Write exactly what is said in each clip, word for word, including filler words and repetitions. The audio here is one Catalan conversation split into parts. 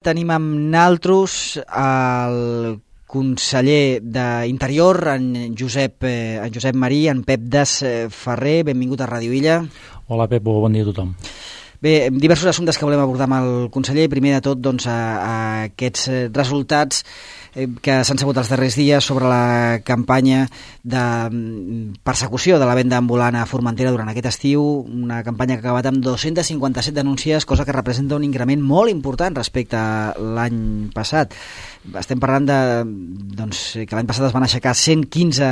Tenim amb naltros el conseller d'Interior, en Josep, eh, en Josep Marí, en Pep Des Ferrer. Benvingut a Ràdio Illa. Hola, Pep, bon dia a tothom. Bé, diversos assumptes que volem abordar amb el conseller. Primer de tot, doncs, a, a aquests resultats eh, que s'han sabut els darrers dies sobre la campanya de persecució de la venda ambulant a Formentera durant aquest estiu, una campanya que ha acabat amb dos-centes cinquanta-set denúncies, cosa que representa un increment molt important respecte a l'any passat. Estem parlant de, doncs, que l'any passat es van aixecar cent quinze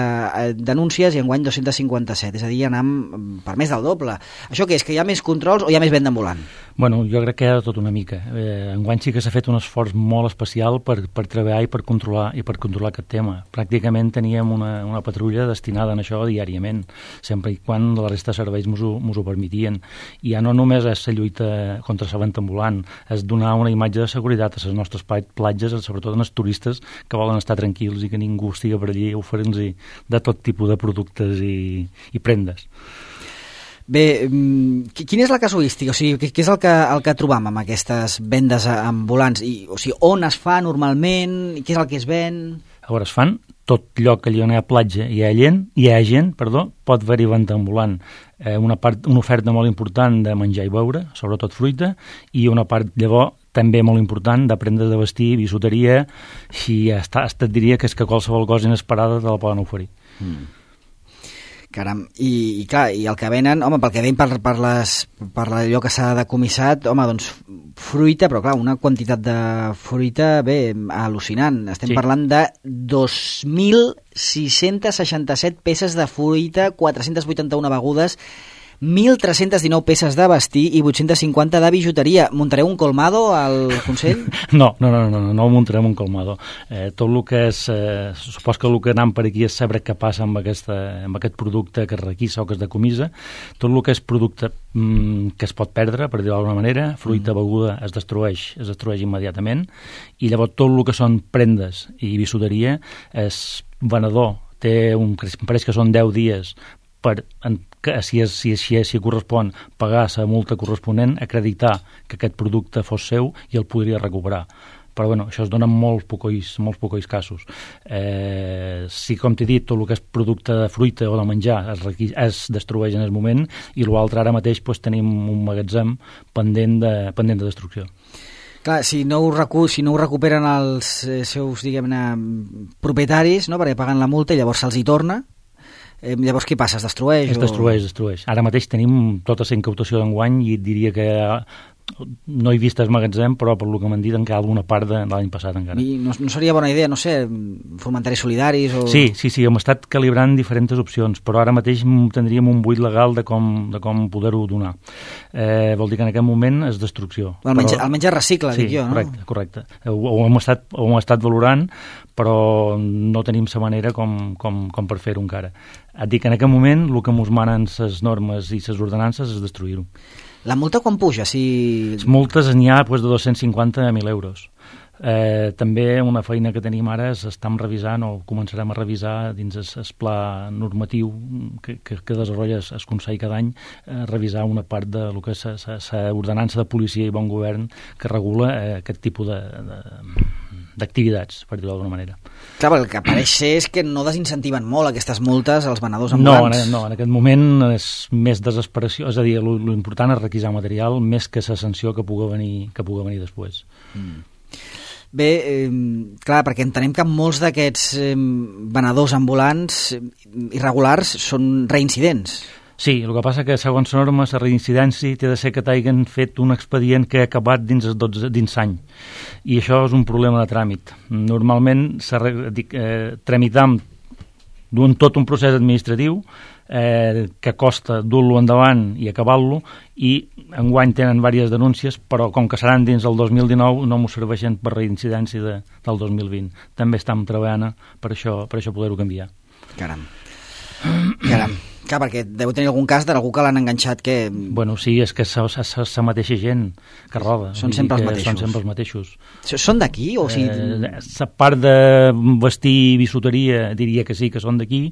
denúncies i enguany dos-centes cinquanta-set, és a dir, anam per més del doble. Això què és, que hi ha més controls o hi ha més venda ambulant? Bueno, jo crec que hi ha tot una mica. Eh, enguany sí que s'ha fet un esforç molt especial per, per treballar i per controlar i per controlar aquest tema. Pràcticament teníem una, una patrulla destinada a això diàriament, sempre i quan la resta de serveis mos ho, mos ho permetien. I ja no només és la lluita contra la venda ambulant, és donar una imatge de seguretat a les nostres platges, sobretot als turistes que volen estar tranquils i que ningú estigui per allí oferint-los de tot tipus de productes i, i prendes. Bé, quina és la casuística? O sigui, què és el que, el que trobam amb aquestes vendes ambulants? I, o sigui, on es fa normalment? Què és el que es ven? A veure, es fan tot lloc que hi ha platja i hi ha gent, hi ha gent perdó, pot haver-hi venda ambulant. Eh, una, part, una oferta molt important de menjar i beure, sobretot fruita, i una part, llavors, també molt important de prendre de vestir, bisuteria, i hasta, hasta et diria que és que qualsevol cosa inesperada te la poden oferir. Mm. Caram, i, i clar, i el que venen, home, pel que veiem per, per, les, per allò que s'ha decomissat, home, doncs fruita, però clar, una quantitat de fruita, bé, al·lucinant. Estem sí. parlant de dos mil sis-centes seixanta-set peces de fruita, quatre-centes vuitanta-una begudes, mil tres-centes dinou peces de vestir i vuit-centes cinquanta de bijuteria. Muntareu un colmado al Consell? No, no, no, no, no, no muntarem un colmado. Eh, tot el que és, eh, supos que el que anem per aquí és saber què passa amb, aquesta, amb aquest producte que es requissa o que es decomissa. Tot el que és producte mm, que es pot perdre, per dir-ho d'alguna manera, fruita, mm. beguda, es destrueix, es destrueix immediatament, i llavors tot el que són prendes i bisuteria, és venedor, té un, em pareix que són deu dies per, en, que si, és, si, si, si correspon pagar la multa corresponent, acreditar que aquest producte fos seu i el podria recuperar. Però bueno, això es dona en molts pocois, molts pocois casos. Eh, si, com t'he dit, tot el que és producte de fruita o de menjar es, es destrueix en el moment, i l'altre ara mateix pues, tenim un magatzem pendent de, pendent de destrucció. Clar, si no ho, recu si no ho recuperen els eh, seus, diguem-ne, propietaris, no?, perquè paguen la multa i llavors se'ls hi torna, Eh, llavors què passa? Es destrueix? Es destrueix, es destrueix. Ara mateix tenim tota la incautació d'enguany i et diria que no he vist el magatzem, però per lo que m'han dit encara alguna part de l'any passat encara. I no, no seria bona idea, no sé, fomentaris solidaris o... Sí, sí, sí, hem estat calibrant diferents opcions, però ara mateix tindríem un buit legal de com, de com poder-ho donar. Eh, vol dir que en aquest moment és destrucció. El menjar, però... el menjar recicla, sí, dic jo, no? Correcte, correcte. Ho, ho, hem estat, ho hem estat valorant, però no tenim la manera com, com, com per fer-ho encara. Et dic que en aquest moment el que ens manen les normes i les ordenances és destruir-ho. La multa quan puja? Si... Les multes n'hi ha pues, de dos-cents cinquanta a mil euros. Eh, també una feina que tenim ara és estem revisant o començarem a revisar dins el, el pla normatiu que, que, que desenvolupa el Consell cada any, eh, revisar una part de lo que és l'ordenança de policia i bon govern que regula eh, aquest tipus de, de, d'activitats, per dir-ho d'alguna manera. Clar, el que pareix ser és que no desincentiven molt aquestes multes als venedors ambulants. No, en, no, en aquest moment és més desesperació, és a dir, l'important és requisar material més que la sanció que pugui venir, que pugui venir després. Mm. Bé, eh, clar, perquè entenem que molts d'aquests eh, venedors ambulants irregulars són reincidents. Sí, el que passa que segons normes la reincidència té de ser que t'hagin fet un expedient que ha acabat dins els dotze, dins l'any, i això és un problema de tràmit. Normalment dic, eh, tramitam d'un tot un procés administratiu eh, que costa dur-lo endavant i acabar-lo, i enguany tenen diverses denúncies, però com que seran dins el dos mil dinou no m'ho serveixen per reincidència de, del dos mil vint. També estem treballant per això, per això poder-ho canviar. Caram. Caram. Clar, perquè deu tenir algun cas d'algú que l'han enganxat que... Bueno, sí, és que és la mateixa gent que roba. Són sempre els mateixos. Són sempre els mateixos. Són d'aquí? O sigui... eh, la part de vestir bisuteria diria que sí, que són d'aquí,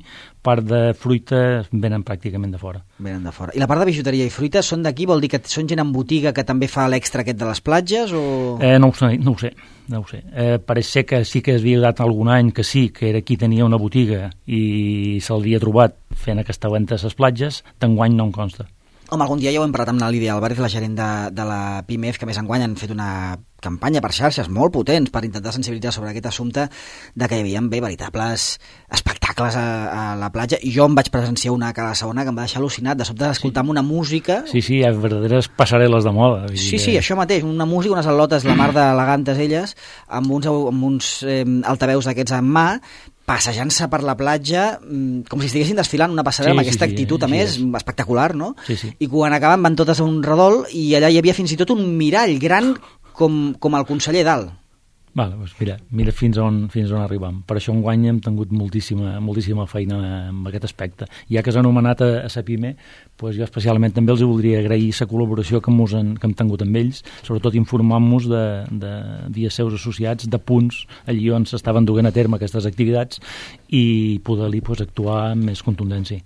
part de fruita venen pràcticament de fora. Venen de fora. I la part de bijuteria i fruita són d'aquí? Vol dir que són gent en botiga que també fa l'extra aquest de les platges? O... Eh, no ho sé, no ho sé. No ho sé. Eh, pareix ser que sí que es havia dat algun any que sí, que era qui tenia una botiga i se'l havia trobat fent aquesta venda a les platges, d'enguany no em consta. Home, algun dia ja ho hem parlat amb la Lídia Álvarez, la gerent de, de la Pimef, que més enguany han fet una campanya per xarxes molt potents per intentar sensibilitzar sobre aquest assumpte de que hi havia bé veritables espectacles a, a la platja, i jo em vaig presenciar una a Cala Saona que em va deixar al·lucinat de sobte d'escoltar sí. una música... Sí, sí, hi ha verdaderes passarel·les de moda. Sí, que... sí, això mateix, una música, unes al·lotes, la mar d'elegantes elles, amb uns, amb uns eh, altaveus d'aquests en mà, passejant-se per la platja com si estiguessin desfilant una passarel·la sí, amb aquesta sí, actitud, sí, a més, sí, espectacular, no? Sí, sí. I quan acaben van totes a un redol i allà hi havia fins i tot un mirall gran com, com el conseller dalt. Vale, doncs mira, mira fins on, fins on arribam. Per això enguany hem tingut moltíssima, moltíssima feina en aquest aspecte. Ja que s'ha anomenat a, a Sapime, doncs jo especialment també els voldria agrair la col·laboració que, han, que hem tingut amb ells, sobretot informant-nos de, de dies seus associats, de punts allí on s'estaven duent a terme aquestes activitats i poder-hi doncs, actuar amb més contundència.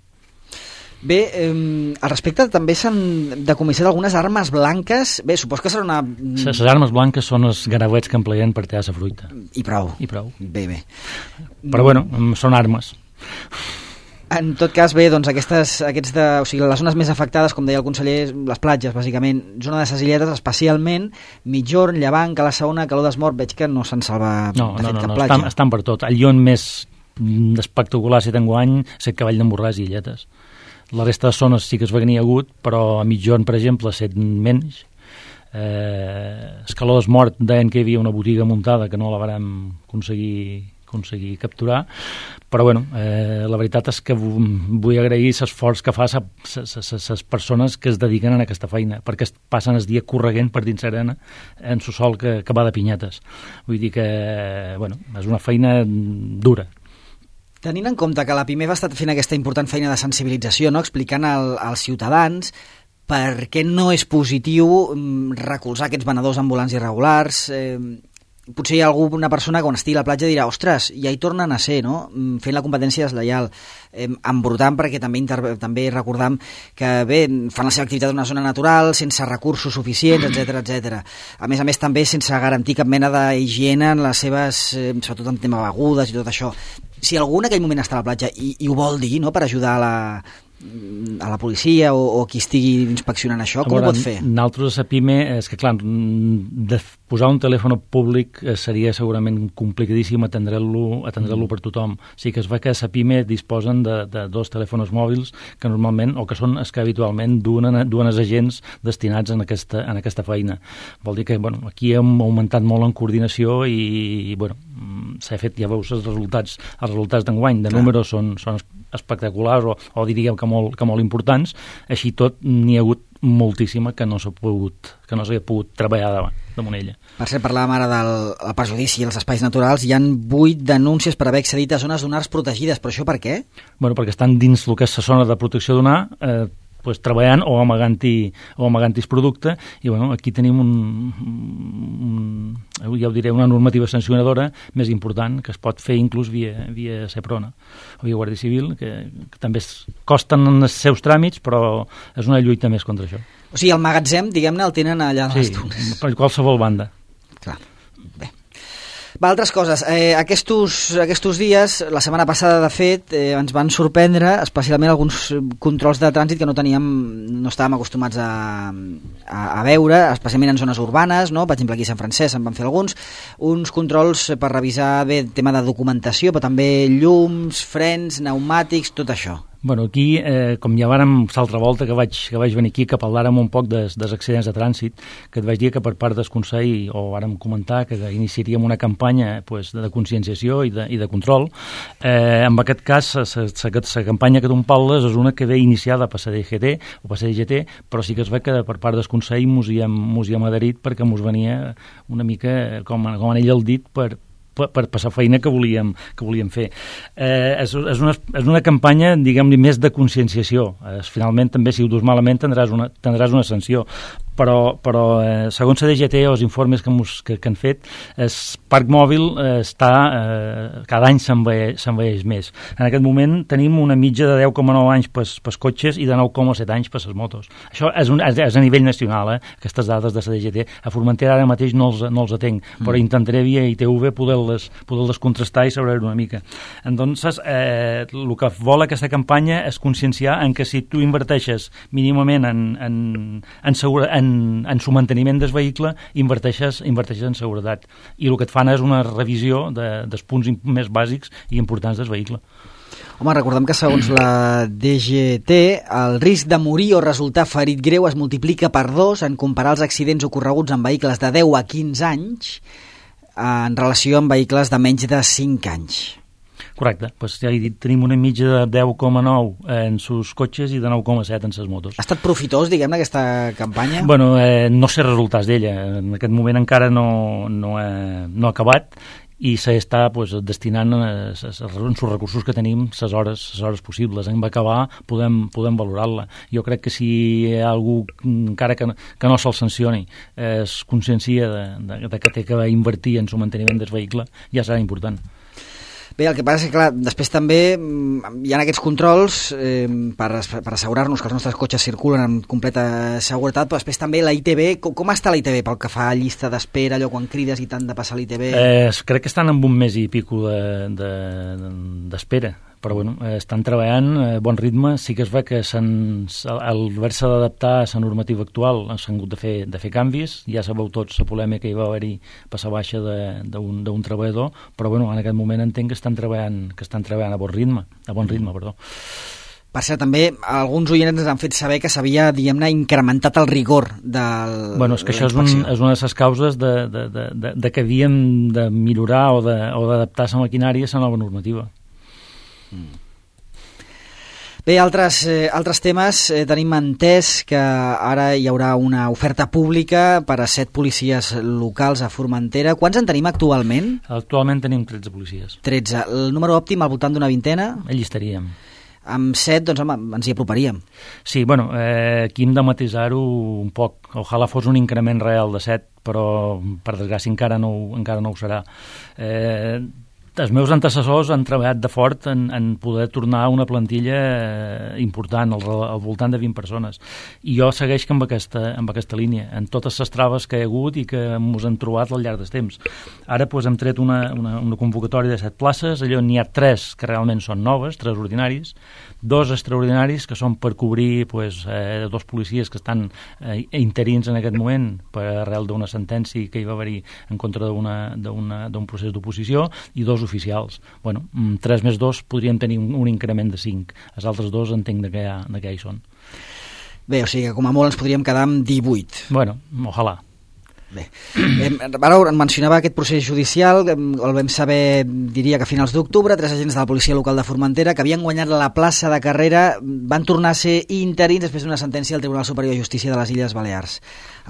Bé, eh, al respecte també s'han decomissat algunes armes blanques. Bé, supos que serà una... Les armes blanques són els garavets que empleien per tallar la fruita. I prou. I prou. Bé, bé. Però bueno, són armes. En tot cas, bé, doncs aquestes, aquests de, o sigui, les zones més afectades, com deia el conseller, les platges, bàsicament, zona de ses Illetes, especialment Migjorn, Llevant, Cala Saona, Calor d'Esmort, veig que no se'n salva no, de no, fet no, cap no, platja. Estan, estan per tot. El llon més espectacular si t'enguany és el Cavall d'en Borràs i Illetes. La resta de zones sí que es va venir agut, però a Migjorn, per exemple, set menys. Eh, Escaló d'Esmort deien que hi havia una botiga muntada que no la vàrem aconseguir, aconseguir capturar, però bueno, eh, la veritat és que vull agrair l'esforç que fa les persones que es dediquen a aquesta feina, perquè es passen el dia correguent per dins l'arena en su sol que, que va de pinyetes. Vull dir que bueno, és una feina dura. Tenint en compte que la Pimef ha estat fent aquesta important feina de sensibilització, no? Explicant al, als ciutadans per què no és positiu recolzar aquests venedors ambulants irregulars, eh, potser hi ha alguna persona que quan estigui a la platja dirà ostres, ja hi tornen a ser, no? Fent la competència deslleial, eh, embrutant, perquè també, interve, també recordam que bé, fan la seva activitat en una zona natural, sense recursos suficients, etcètera, etcètera. A més a més també sense garantir cap mena d'higiene en les seves, eh, sobretot en tema begudes i tot això. Si algú en aquell moment està a la platja i, i ho vol dir, no?, per ajudar a la, a la policia o, o qui estigui inspeccionant això, com veure, ho pot fer? Nosaltres a Pime, és que clar, de posar un telèfon públic seria segurament complicadíssim atendre-lo atendre-lo per tothom. Sí que es va que a Pime disposen de, de dos telèfons mòbils que normalment, o que són els que habitualment duen, duen els agents destinats en aquesta, en aquesta feina. Vol dir que bueno, aquí hem augmentat molt en coordinació i, i bueno, s'ha fet, ja veus els resultats, els resultats d'enguany de números són, són espectaculars o, o diríem que molt, que molt importants. Així tot n'hi ha hagut moltíssima que no s'ha pogut, que no s'ha pogut treballar davant, damunt ella. Per cert, parlàvem ara del el perjudici als espais naturals. Hi han vuit denúncies per haver accedit a zones dunars protegides, però això per què? Bueno, perquè estan dins el que és la zona de protecció dunar, eh, pues, treballant o amagant-hi o amagant-hi producte, i bueno, aquí tenim un, un, ja ho diré, una normativa sancionadora més important que es pot fer inclús via, via Seprona o via Guàrdia Civil, que, que també es, costen els seus tràmits, però és una lluita més contra això. O sigui, el magatzem, diguem-ne, el tenen allà a les dunes. Sí, per qualsevol banda. Clar, bé. Va, altres coses. Eh, aquests, aquests dies, la setmana passada, de fet, eh, ens van sorprendre especialment alguns controls de trànsit que no teníem, no estàvem acostumats a, a, a veure, especialment en zones urbanes, no? Per exemple, aquí a Sant Francesc en van fer alguns, uns controls per revisar bé el tema de documentació, però també llums, frens, pneumàtics, tot això. Bueno, aquí, eh, com ja vàrem l'altra volta que vaig, que vaig venir aquí, que parlàrem un poc des, dels accidents de trànsit, que et vaig dir que per part del Consell, o vàrem comentar que iniciaríem una campanya pues, de conscienciació i de, i de control. Eh, en aquest cas, la campanya que tu em parles és una que ve iniciada per la D G T o per la D G T, però sí que es ve que per part del Consell mos hi hem, mos hi hem adherit perquè mos venia una mica, com, com en ell el dit, per per, per passar feina que volíem, que volíem fer. Eh, és, és, una, és una campanya, diguem-li, més de conscienciació. Eh, finalment, també, si ho dus malament, tindràs una, tindràs una sanció. Però, però eh, segons la D G T o els informes que, mos, que, que han fet, el parc mòbil eh, està, eh, cada any s'envelleix més. En aquest moment tenim una mitja de deu coma nou anys pels, pels cotxes i de nou coma set anys per les motos. Això és, un, és a nivell nacional, eh, aquestes dades de la D G T. A Formentera ara mateix no els, no els atenc, mm. però intentaré via I T V poder-les poder contrastar i saber una mica. Entonces, eh, el que vol aquesta campanya és conscienciar en que si tu inverteixes mínimament en, en, en, segura, en En, en su manteniment del vehicle, inverteixes, inverteixes en seguretat. I el que et fan és una revisió de, dels punts més bàsics i importants del vehicle. Home, recordem que segons la D G T, el risc de morir o resultar ferit greu es multiplica per dos en comparar els accidents ocorreguts en vehicles de deu a quinze anys en relació amb vehicles de menys de cinc anys. Correcte, doncs ja he dit, tenim una mitja de deu coma nou en sus cotxes i de nou coma set en ses motos. Ha estat profitós, diguem-ne, aquesta campanya? Bueno, eh, no sé resultats d'ella. En aquest moment encara no, no, ha, no ha acabat i s'està pues, destinant en els recursos que tenim les hores, les hores possibles. En va acabar, podem, podem valorar-la. Jo crec que si hi ha algú, encara que, que no se'l sancioni, es consciencia de, de, de que té que invertir en el manteniment del vehicle, ja serà important. Bé, el que passa és que, clar, després també hi ha aquests controls eh, per, per assegurar-nos que els nostres cotxes circulen amb completa seguretat, però després també la I T V, com, com està la I T V pel que fa a llista d'espera, allò quan crides i tant de passar l'I T V? Eh, crec que estan en un mes i pico de, de, d'espera, però bueno, estan treballant a bon ritme. Sí que es ve que al haver-se d'adaptar a la normativa actual s'han hagut de fer, de fer canvis. Ja sabeu tots la polèmica que hi va haver-hi passar baixa d'un treballador, però bueno, en aquest moment entenc que estan treballant, que estan treballant a bon ritme, a bon ritme, perdó. Per cert, també alguns oients ens han fet saber que s'havia, diguem-ne, incrementat el rigor del Bueno, és que això és, un, és una de les causes de, de, de, de, de que havíem de millorar o d'adaptar la maquinària a la nova normativa. Mm. Bé, altres, eh, altres temes. Eh, tenim entès que ara hi haurà una oferta pública per a set policies locals a Formentera. Quants en tenim actualment? Actualment tenim tretze policies. tretze. El número òptim al voltant d'una vintena? Allí estaríem. Amb set, doncs, home, ens hi aproparíem. Sí, bueno, eh, aquí hem de matisar-ho un poc. Ojalà fos un increment real de set, però per desgràcia encara no, encara no ho serà. Eh, els meus antecessors han treballat de fort en, en poder tornar a una plantilla eh, important, al, al voltant de vint persones. I jo segueix amb aquesta, amb aquesta línia, en totes les traves que hi ha hagut i que ens han trobat al llarg del temps. Ara pues, hem tret una, una, una convocatòria de set places, allò n'hi ha tres que realment són noves, tres ordinaris, dos extraordinaris que són per cobrir pues, eh, dos policies que estan eh, interins en aquest moment per arrel d'una sentència que hi va haver-hi en contra d'un procés d'oposició i dos oficials. Bueno, tres més dos podríem tenir un, un increment de cinc. Els altres dos entenc de què, de què hi són. Bé, o sigui que com a molt ens podríem quedar amb divuit. Bueno, ojalà. Bé, eh, ara mencionava aquest procés judicial, el vam saber, diria que a finals d'octubre, tres agents de la policia local de Formentera que havien guanyat la plaça de carrera van tornar a ser interins després d'una sentència del Tribunal Superior de Justícia de les Illes Balears.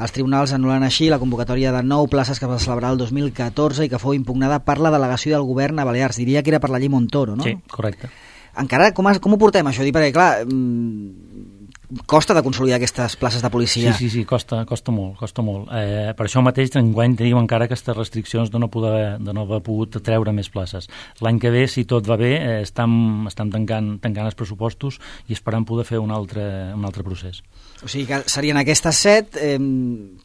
Els tribunals anulen així la convocatòria de nou places que va celebrar el dos mil catorze i que fou impugnada per la delegació del govern a Balears. Diria que era per la llei Montoro, no? Sí, correcte. Encara, com, com ho portem això? Dic, perquè clar, costa de consolidar aquestes places de policia. Sí, sí, sí, costa, costa molt, costa molt. Eh, per això mateix enguany tenim encara aquestes restriccions de no, poder, de no haver pogut treure més places. L'any que ve, si tot va bé, eh, estem, estem tancant, tancant els pressupostos i esperant poder fer un altre, un altre procés. O sigui que serien aquestes set, eh,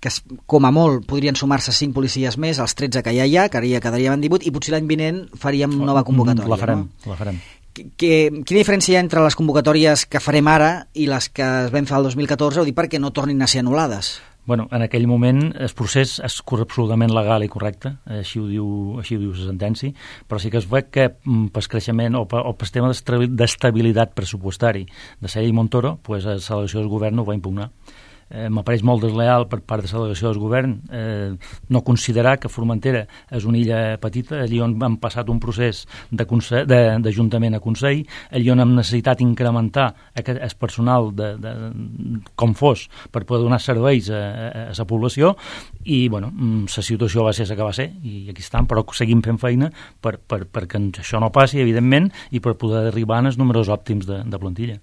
que com a molt podrien sumar-se cinc policies més, els tretze que ja hi ha, que ara ja quedaríem en divuit, i potser l'any vinent faríem nova convocatòria. La farem, no? la farem. Que, quina diferència hi ha entre les convocatòries que farem ara i les que es vam fer el dos mil catorze, o dir perquè no tornin a ser anul·lades? Bueno, en aquell moment el procés és absolutament legal i correcte, així ho diu, així ho diu la sentència, però sí que es veu que pel creixement o pel tema d'estabilitat pressupostari de la llei Montoro, pues, la delegació del govern ho va impugnar. eh, m'apareix molt desleal per part de la delegació del govern eh, no considerar que Formentera és una illa petita, allí on hem passat un procés d'Ajuntament a Consell, allí on hem necessitat incrementar aquest, el personal de, de, com fos per poder donar serveis a, a, a la població i bueno, la situació va ser la que va ser i aquí estan, però seguim fent feina per, per, perquè això no passi, evidentment, i per poder arribar als números òptims de, de plantilla.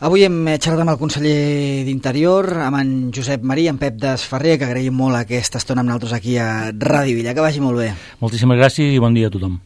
Avui hem xerrat amb el conseller d'Interior, amb en Josep Maria, en Pep Desferrer, que agraïm molt aquesta estona amb nosaltres aquí a Ràdio Villa. Que vagi molt bé. Moltíssimes gràcies i bon dia a tothom.